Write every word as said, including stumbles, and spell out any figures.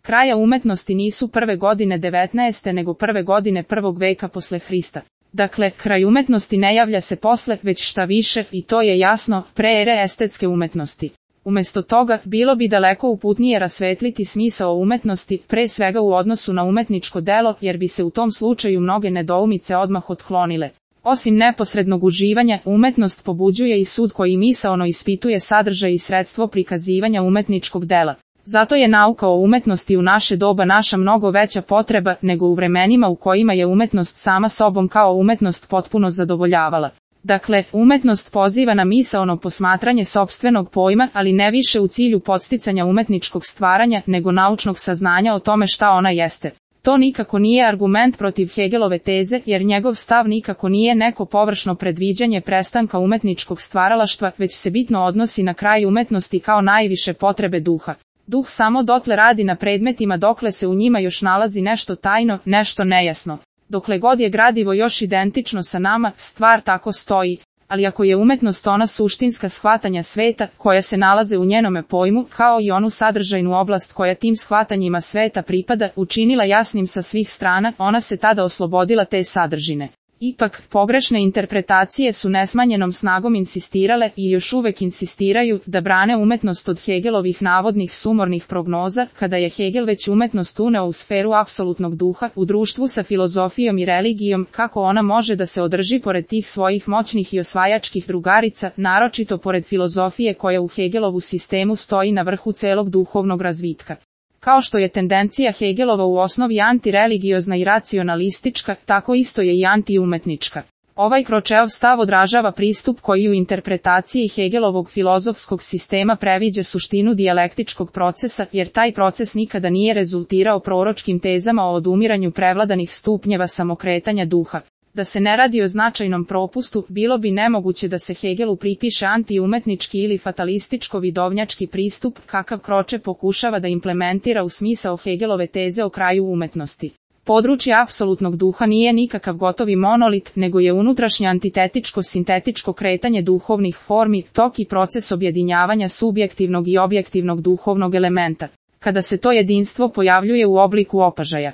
kraja umetnosti nisu prve godine devetnaeste nego prve godine prvog veka posle Hrista. Dakle, kraj umetnosti ne javlja se posle, već šta više, i to je jasno, pre ere estetske umetnosti. Umesto toga, bilo bi daleko uputnije rasvetliti smisao umetnosti, pre svega u odnosu na umetničko delo, jer bi se u tom slučaju mnoge nedoumice odmah otklonile. Osim neposrednog uživanja, umetnost pobuđuje i sud koji misaono ispituje sadržaj i sredstvo prikazivanja umetničkog dela. Zato je nauka o umetnosti u naše doba naša mnogo veća potreba nego u vremenima u kojima je umetnost sama sobom kao umetnost potpuno zadovoljavala. Dakle, umetnost poziva na misaono posmatranje sopstvenog pojma, ali ne više u cilju podsticanja umetničkog stvaranja, nego naučnog saznanja o tome šta ona jeste. To nikako nije argument protiv Hegelove teze, jer njegov stav nikako nije neko površno predviđanje prestanka umetničkog stvaralaštva, već se bitno odnosi na kraj umetnosti kao najviše potrebe duha. Duh samo dotle radi na predmetima dokle se u njima još nalazi nešto tajno, nešto nejasno. Dokle god je gradivo još identično sa nama, stvar tako stoji, ali ako je umetnost ona suštinska shvatanja sveta, koja se nalaze u njenome pojmu, kao i onu sadržajnu oblast koja tim shvatanjima sveta pripada, učinila jasnim sa svih strana, ona se tada oslobodila te sadržine. Ipak, pogrešne interpretacije su nesmanjenom snagom insistirale i još uvek insistiraju da brane umetnost od Hegelovih navodnih sumornih prognoza, kada je Hegel već umetnost uneo u sferu apsolutnog duha, u društvu sa filozofijom i religijom, kako ona može da se održi pored tih svojih moćnih i osvajačkih drugarica, naročito pored filozofije koja u Hegelovu sistemu stoji na vrhu celog duhovnog razvitka. Kao što je tendencija Hegelova u osnovi antireligiozna i racionalistička, tako isto je i antiumetnička. Ovaj Kročeov stav odražava pristup koji u interpretaciji Hegelovog filozofskog sistema previđa suštinu dijalektičkog procesa, jer taj proces nikada nije rezultirao proročkim tezama o odumiranju prevladanih stupnjeva samokretanja duha. Da se ne radi o značajnom propustu, bilo bi nemoguće da se Hegelu pripiše antiumetnički ili fatalističko-vidovnjački pristup, kakav Kroče pokušava da implementira u smisao Hegelove teze o kraju umetnosti. Područje apsolutnog duha nije nikakav gotovi monolit, nego je unutrašnje antitetičko-sintetičko kretanje duhovnih formi, tok i proces objedinjavanja subjektivnog i objektivnog duhovnog elementa, kada se to jedinstvo pojavljuje u obliku opažaja.